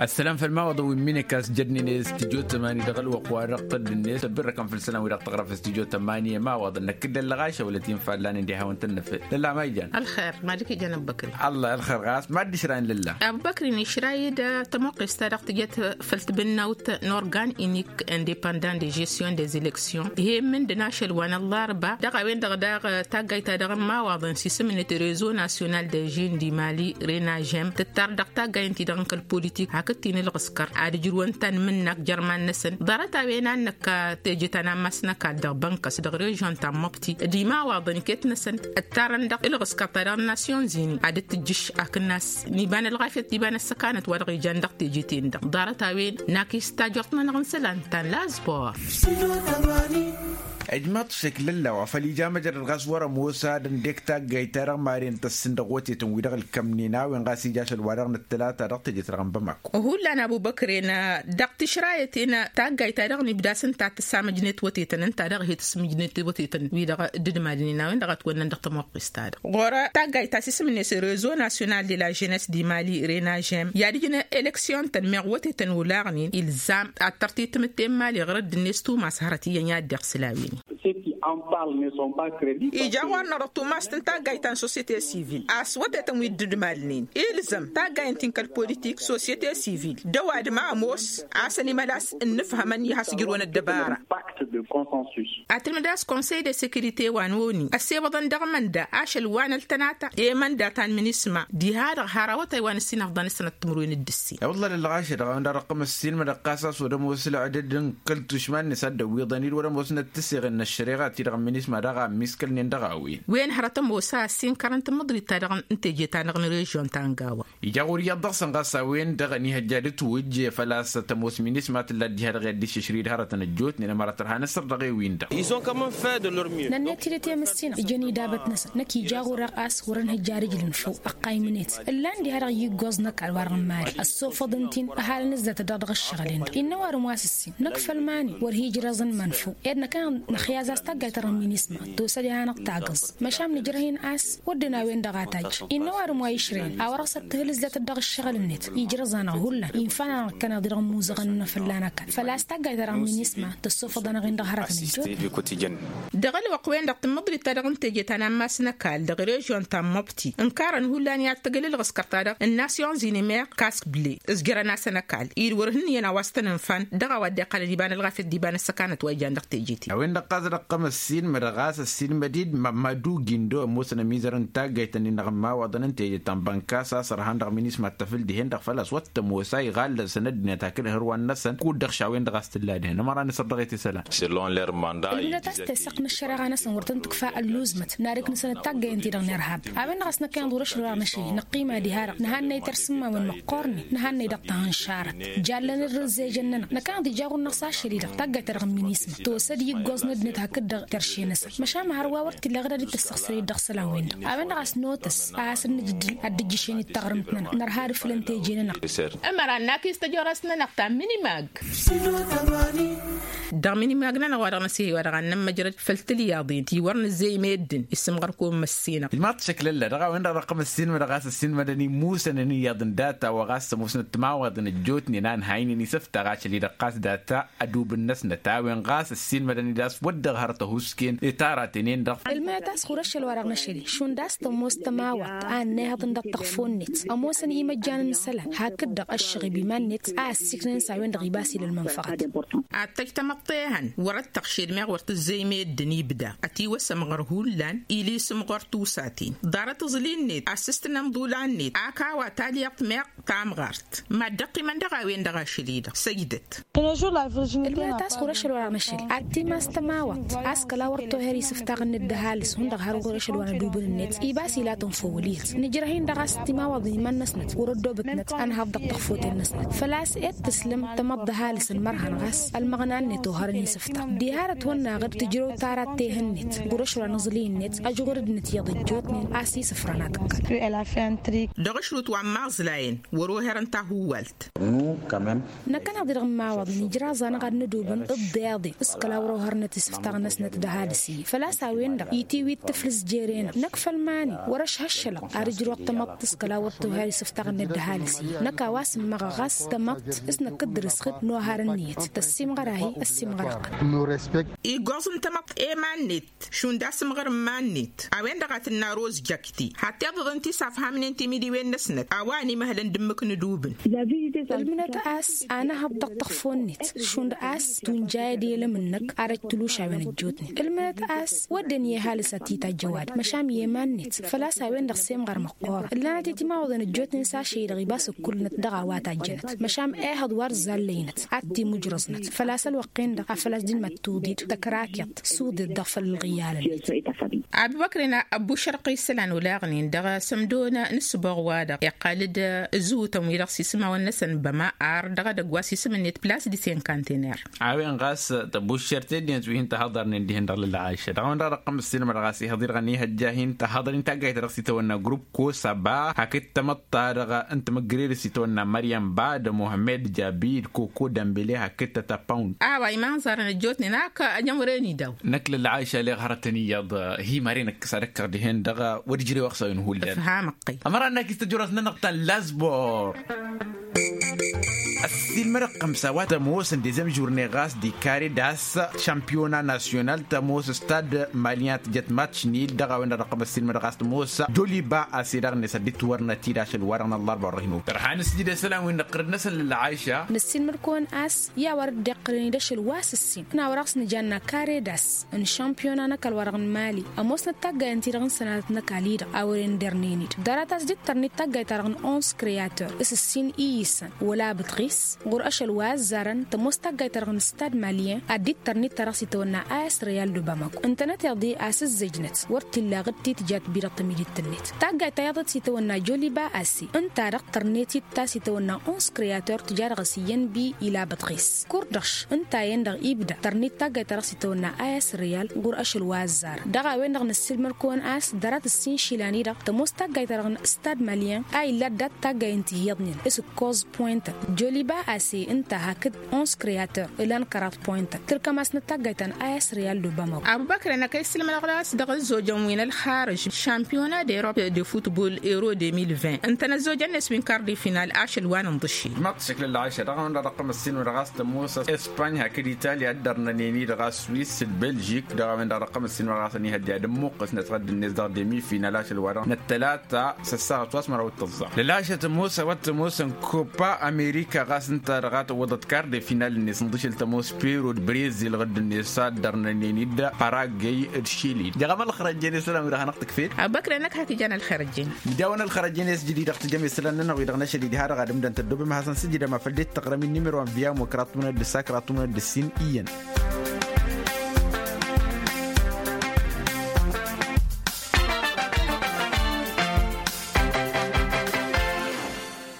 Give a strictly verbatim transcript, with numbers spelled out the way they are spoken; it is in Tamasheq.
Ăssălam făll-imawaḍăn wi n-imǝnǝk a-s jădnen i-studyo tămani dăɣ-ălwăqq-wa-dăɣ tădd-net ăbbirrăkăn făll-isălan-wi-dăɣ tăɣrăf studyo tămani i-imawaḍăn năkk dd-ăllăɣašăwălăt-in fallăn indi hawăn-tăn-năfel lălla ma ijan. Ălxer mad-ǝkijăn ăbbăkri. Ăllah ălxer ɣas mad-dd-išrayăn lălla. Ăbbăkri n-išrayăd tămuqqes-ta-dăɣ tǝjăt făll-tibǝnnawt n-organ inik independant de gestion des elections ihemmǝn d-inašăl wa n-ăllarba dăɣ-a-wen-dăɣ daɣ. Taggayt-ta-dăɣ n-imawaḍăn s-isǝm-net rezo national de jeune di mali renajem tǝttar dăɣ-taggay ǝnta-dăɣ n-kăl-politik hakd t-inǝlɣǝskăr ad-ǝjrǝwăn tanmǝnnak jer-iman-năsăn ḍarăt-a-wen a n-năkk teje ta n-ammas n-ăkall dăɣ-bănkăs dăɣ-režion ta n-măbti d-imawaḍăn iket-năsăn ǝttarăn dăɣ-ilɣǝskăr ta dăɣ-nasyon zini ad-dd-tǝjjǝš akǝnnas n-iba n-ălɣafyăt d-iba n-ăssăkanăt wa dăɣ-ijan dăɣ-teje-ten-dăɣ ḍarăt-a-wen n-akis tajort-nănăɣ n-isălan ta n-lazbor. Ăjmaḍ šăkk lălla wa făl ija măjrăd ɣas wăr-ămoos ad-ăndek taggayt-ta-dăɣ maren tăssǝn dăɣ-wătetăn wi-dăɣ ǝlkămnen a-wen ɣas ija ašăl wa dăɣ-nǝttălata dăɣ-teje-ta-dăɣ n-bămako. Hullan abubăkren dăɣ-tǝšrayăt-en taggayt-ta-dăɣ n-ibdas ǝnta a tǝssamǝjnet wătetăn ǝnta dăɣ-hi-tǝsmǝjnet wătetăn wi-dăɣ dd-madnen a-wen-dăɣ a ătwănnăn dăɣ-tămoqqes-ta-dăɣ ɣur-taggayt ta s-isǝm-net rezo nasyonal de la jeunesse di mali renajem i-ad-ǝjǝn eleksyon-tăn meɣ wătetăn olaɣnen ilzam ad-tărtitǝmǝt ten mali ɣur-dd-net tumas hărăt iyyăn i-ad-dd-iɣsǝl a-wen. Ija ɣur-năɣ dăɣ-tumast n-taggayt ta n-sosyete sivil a-s wătetăn wi dd-ǝdmalnen ilzăm taggayt n-ti n-kăl-politik sosyete sivil d-ăwadǝm a ămoos a-s ănimălas ǝnnǝfhămăn i-has-ǝjrǝwăn ăddăbara. Ad-tǝlmǝd a-s konsăy de sekirite wa n-oni ăssewăḍăn dăɣ-mănda ašăl wa n-ăltănata i-mănda ta n-minisma diha-dăɣ har awătay wa n-ǝssin ăfḍăn s-sănăt timǝrwen d-ǝssin. I-wălla lălɣašăd ɣawăn-dăɣ ăqqăm ǝssin mădăɣ-kas a-s wăr-ămoos ălɣădăd n-kăl-tušma-net ad-dd-ăwwiḍăn-dd wăr-ămoosnăt tǝseɣen n-ăššăreɣa ti-dăɣ n-minisma daɣ a ămmiskălnen dăɣ-a-wen. Wen hărăt ămoos a ăssin kărăn tǝmmǝḍrit-ta-dăɣ n-teje-ta-dăɣ n-režion ta n-gawa. Ija ɣur-iyyăḍ dăɣ-săn ɣas a-wen-dăɣ ănihăjja d-ǝtwǝjj făl-a-s tămoos minisma tǝlla dd-iha dăɣ-i ad-dd-iššǝšrǝy d-hărătăn ăjjootnen ămăra tărha năsăr dăɣ-ewin-dăɣ. Nănnet-dd i-temǝssin ijăn idabăt-năsăn năkk ija ɣur-eɣ a-s wăr-ănhǝjja ad-ǝjlǝn făw ăqqaymnet ǝllan diha-dăɣ i-iggoẓ n-ăkall wa dăɣ-nǝmari ăssofăḍ ǝnta-in ăhalăn ǝzzatăt dăɣ-dăɣ ǝššăɣǝl-en-dăɣ innă ăwadǝm wa s-ǝssin năkk făll-iman-i wăr hi-ǝjrăẓăn iman făw ed năkk a năxyaz a-s taggayt-ta-dăɣ n-minisma tosăd i-ad-hanăɣ-tagǝẓ. Măšan nǝjrăh-in a-s wădden a-wen-dăɣ a tajj innă ăwadǝm wa išrăyăn a wăr-ăɣsăt tǝhǝl ǝzzatăt dăɣ-ǝššăɣǝl-net ijrăẓ-anăɣ hullan infa-nănăɣ ǝkkăneḍ-i dăɣ-ămmuzăɣăn-nănăɣ fălla-năkall făl-a-s taggayt-ta-dăɣ n-minisma tăssofăḍ-anăɣ-in dăɣ-hărătăn ăjjootnen. Dăɣ-ălwăqq-wen-dăɣ tǝmmǝḍrit-ta-dăɣ n-teje ta n-ammas n-ăkall dăɣ-režion ta n-mobti ǝnkarăn hullan i-ad-tăgg ǝlǝlɣǝskăr-ta-dăɣ n-nasyon zini meɣ kask ble ǝzjărăn-asăn ăkall-i d-wăr hǝnnǝyăn a-wa s-tăn-ǝnfan dăɣ-a-wa dd-iqqălăn iba n-ălɣafyăt d-iba n-ăssăkanăt wa ijan dăɣ-teje-ti. A-wen-dăɣ ɣas dăɣ-tăm ăssiinmăd ɣas ăssiinmăd-dd madu gindo ămoosăn ămizăr n-taggayt-nin-dăɣ n-imawaḍăn n-teje ta n-bănkas a-s ărhan dăɣ-minisma d-tafǝl dihen-dăɣ făl-a-s wăr t-ămoos a iɣallăsăn ăddinăt hakd hărwan-năsăn kud-dăɣ š-a-wen-dăɣ a-s tǝlla dihen ămăra n-asăr dăɣ-e-t isălan. Ăddinăt a-s tesăqq n-ăššăreɣa-năsăn wăr tăn-tǝkfa ălluuzmăt n-ad-ǝknǝsăn d-taggayăn-ti-dăɣ n-irhab. A-wen-dăɣ a-s năkkăneḍ wăr-ašăl wăr-năšăl năqqima diha-dăɣ năhannăy tarsǝmmawen măqqoornen năhannăy dăɣ-tahǝnšarăt. Jallan irrǝzzejăn-nănăɣ năkkăneḍ ija ɣur-năɣ s-ašăl-i-dăɣ taggayt-ta-dăɣ n-minisma tosăd i-ǝggoẓ n-ăddinăt hakd-dăɣ terše-năsăn măšan hărwa wăr t-illa ɣǝd ad-dd-tăssăɣsăr i-dd dăɣ-isălan-wen-dăɣ. A-wen-dăɣ a-s notăs a has-nǝjdǝl ad-dd-ǝjjǝšen i-taɣrǝmt-nănăɣ nărha ad-ǝfǝlăn teje-nănăɣ. Ămăra n-akis tăjorăst-nănăɣ ta n-minimag. Dăɣ-minimag-nănăɣ wa dăɣ-năsihăy wa dăɣ-ad-nămmăjrăd făll-tilyaḍen ti wăr nǝzzey meddǝn isǝmɣăr-kăwăn măssinăɣ. Ilmaḍ šăklălla dăɣ-a-wen-dăɣ dăɣ-tăm ăssiinmădăɣ ɣas ăssiinmădăn imusănăn iyyăḍ n-data wa ɣas ămoosnăt timawaḍen ăjjootnen a ǝnhaynen isǝftaɣ ašăl-i-dăɣ ɣas data ădubǝn-năsnăt a-wen ɣas ăssiinmădăn-dd a-s wăr dd-ăɣhăr tăhusken i-taraten-en-dăɣ. Ǝlmăyăt a-s ɣur-ašăl wa dăɣ-năšăl-i šund a-s tămoos tămawăḍt a ănnayhăḍ n-dăɣ-tăɣfo-net ămoosăn imăjjan n-isălan hakd-dăɣ ăššăɣǝb iman-net a ăssiiknăn s-a-wen-dăɣ ibas ila ălmănfăɣăt. Ad-tăj tamăḍt ehăn wăr-ăttăɣšed meɣ wăr tǝzzey meddǝn ibda ătiwăsăm ɣur-hullan ili isǝm ɣur-tusaten ḍarăt aẓli-net asǝstǝnăm ḍulan-net ak a-wa talyaḍt meɣ tamɣart mad-dd-ăqqimăn dăɣ-a-wen-dăɣ ašăl-i-dăɣ săjdăt. Ǝlmăyăt a-s ɣur-ašăl wa dăɣ-năšăl ad-timas tămawăḍt a-s kăla wăr toher isǝftaɣ-net d-ăhalǝs hundăɣ har ɣur-ašăl wa n-ădubǝn-net ibas ilatăn făw ăliyăt nǝjrăh-in-dăɣ a-s timawaḍen iman-năsnăt wăr-ăddobătnăt ănhăḍ dăɣ-tăxfot-en-năsnăt făl-a-s ed tǝslăm tămăḍt d-ăhalǝs ănmărhăn ɣas ălmăɣna-net ohărăn isǝftaɣ diha dăɣ-tihănnăɣ-dd tǝjrăw tara d-tehăn-net ɣur-ašăl wa n-aẓli-net ăjɣur dd-nǝtyăḍ ăjjootnen a-s isǝfrăn ad-t-ǝkkălăn. Dăɣ-ašrut wa n-imaẓlayăn wăr-oherăn tahuwalt. Năkkăneḍ-i-dăɣ n-imawaḍăn ijraẓ-anăɣ ad-nădubǝn d-iḍeḍe s-kăla wăr-ohărnăt isǝftaɣ-năsnăt d-ăhalǝs-i făl-a-s a-wen-dăɣ itiwit tǝflǝs jere-năɣ năkk făll-iman-i wăr-ăšhăššălăɣ ad-ǝjrăwăɣ tamăḍt s-kăla wăr-t. Isǝftaɣ-net d-ăhalǝs-i năkk a-wa s-ǝmmăɣăɣ ɣas tamăḍt s-năkk dd-dăr-s xǝd n-oharăn n-iyyăt tăssimɣăr-ahi ăssimɣăr-ăqqǝn. Iggoẓ n-tamăḍt i-iman-net šund asǝmɣăr n-iman-net a-wen-dăɣ a tǝnna rozjăkti had-tiḍăḍ n-tisafhamnen timidiwen-năsnăt a-wa ănimăhălăn d-ǝmmǝk n-ǝdubǝn. Ǝlmǝnăt a-s anăhăḍ dăɣ-tăxfo-net šund a-s tunjayăd i-elăm-năk arăj tǝlušawen ăjjootnen. Ǝlmǝnăt a-s wădden i-ăhalǝs ad-t-itajj ăwadǝm măšan i-iman-net făl-a-s a-wen-dăɣ semɣăr măqqoorăn ǝllanăt-i timawaḍăn ăjjootnen s-ašăy-dăɣ ibas ǝkkulnăt dăɣ-a-wa tajjănăt măšan ehăḍ wa ărzallăynăt ad-timujrăẓnăt făl-a-s ălwăqq-en-dăɣ a făl-a-s dd-măttuḍid tăkrakyaḍt suḍeḍ dăɣ-făll ălɣǝyalăn. Abubăkren ăbbušărq isălan olaɣnen dăɣ-asămdon n-ǝssǝboɣ-wa-dăɣ iqqal-dd ǝzǝwǝtăn wi-dăɣ s-isǝmawăn-năsăn băma ar dăɣ-edăgg wa s-isǝm-net plas di senkantener. A-wen ɣas tăbuššert teddinăt wi hin-tăhăḍărnen dihen dăɣ-lălɣayša dăɣ-a-wen dăɣ-dăɣ-tăqqăm ǝssinămăr ɣas ihăḍ-i-dăɣ ănihăjja hin-tăhăḍăr-in taggayt-ta-dăɣ s-itawănna grupp kosaba hakd tamăḍt-ta-dăɣ n-timǝggărer s-itawănna măryăm bad muhămmed jabid koko dămbele hakd tătăpăwn. A-wa imanẓarăn ăjjootnen ak ăjămren-i daw. Năkk lălɣayša aleɣ hărătăn iyyăḍ. Hi-măre năkk s-ad-ăkkăɣ dihen-dăɣ wăr ǝjrew ăɣsawăn hullan. Ămăra n-ak istăjorăs-nănăɣ ta n-lazbor. Ăssiilmădăɣ-tăn s-a-wa tămoosăn dezem žurne ɣas di kare das šampiyona nasyonal tămoos stad malyan tǝjăt matš nil dăɣ-a-wen-dăɣ dăɣ-tămoos joliba ase daɣ-net ad-dd-tiwărnăt-dd ašăl-wa-dăɣ n-ăllarba wăr-hin-okăr. Tărha n-sǝjdăd isălan wi n-iqqărăn-năsăn lălɣayša. Năssiilmăd-kăwăn a-s i-a wăr dd-iqqărăn-dd ašăl wa s-ǝssin n-a wăr-dăɣ s-nǝjanna kare das n-šampiyona n-ăkall wa dăɣ-n mali ămoosnăt taggayen-ti-dăɣ n-sănatăt n-ăkall-i-dăɣ a wăren dernen-dd ḍarăt a-s dd-tărnit taggayt-ta-dăɣ n-ons kreator s-ǝssin i-isăn wăla bǝtɣis ɣur-ašăl wa ăzzarăn tămoos taggayt-ta-dăɣ n-stad malyen ad-dd-tărnit ta dăɣ-s itawănna a s-reyal d-obamako ǝntănăteḍ-i a-s ǝzzejnăt wăr t-illa ɣǝd ti tǝjat bi-dăɣ tămidit-net. Taggayt ta iyyăḍ s-itawănna joliba ase ǝnta-dăɣ tărnet-dd ta s-itawănna ons kreator tǝja dăɣ-s iyyăn bi ila bătɣes kurdăš ǝnta-en-dăɣ ibda tărnet taggayt ta dăɣ-s itawănna a s-reyal ɣur-ašăl wa ăzzar. Dăɣ-a-wen-dăɣ năssiilmăr-kăwăn a-s ḍarăt ǝssin išilan-i-dăɣ tămoos taggayt-ta-dăɣ n-stad malyen a illa ăddat taggayen-t ihiyyăḍnen s-ǝkkoẓ pointăn joliba ase ǝnta hakd ons kreator ǝlan kăraḍ pointăn tǝlkăm-asnăt taggayt ta n-a s-reyal d-obamako. Abubăkr-en ăkăy sǝlmădăɣ-as dăɣ-ăzzojăn wi n-ălxarǝž šampiyona d-erop de futbol ero de mil vingt ǝntănăt ăzzojăn-net wi n-karde final ašăl wa n-inḍǝššel. Dăɣ-a-wen-dăɣ dăɣ-tăqqăm ăssinmădăɣ ɣas tămoos espany hakd italya dd-ărnănen-i-dăɣ a swis d-belžik dăɣ-a-wen-dăɣ dăɣ-tăqqăm ăssinmădăɣ ɣas ănihădde ad-ămmuqqǝsnăt ɣǝdd-net dăɣ-demi final ašăl wa-dăɣ n-ăttălata s-ăssaɣăt wa s-măraw d-tǝẓẓa. Lălašăt ămoos a-wa t-ămoosăn kopa amerika ɣas ǝnta-dăɣ a tǝwwăḍăt karde final-net ǝnḍǝšǝl tămoos peru d-brezil ɣǝdd-net s-ad-dd-ărnănen-dd paragey d-šili. Jăɣăm ălxărăjjen isălan wi-dăɣ hanăɣ-tǝkfed. Abăkre-năk hak ijan ălxărăjjen. Midaw-ănn ălxărăjjen i-s jididăɣ tǝjăm isălan-nănăɣ wi-dăɣ năšăl-i diha-dăɣ ad-ǝmdăn tăddoobem ad-hasăn-sǝjǝdăm afăl dd-tăɣrăm-in n-imǝrwan via mokra tumnăt d-ǝssa kra tumnăt d-ǝssin iyyăn.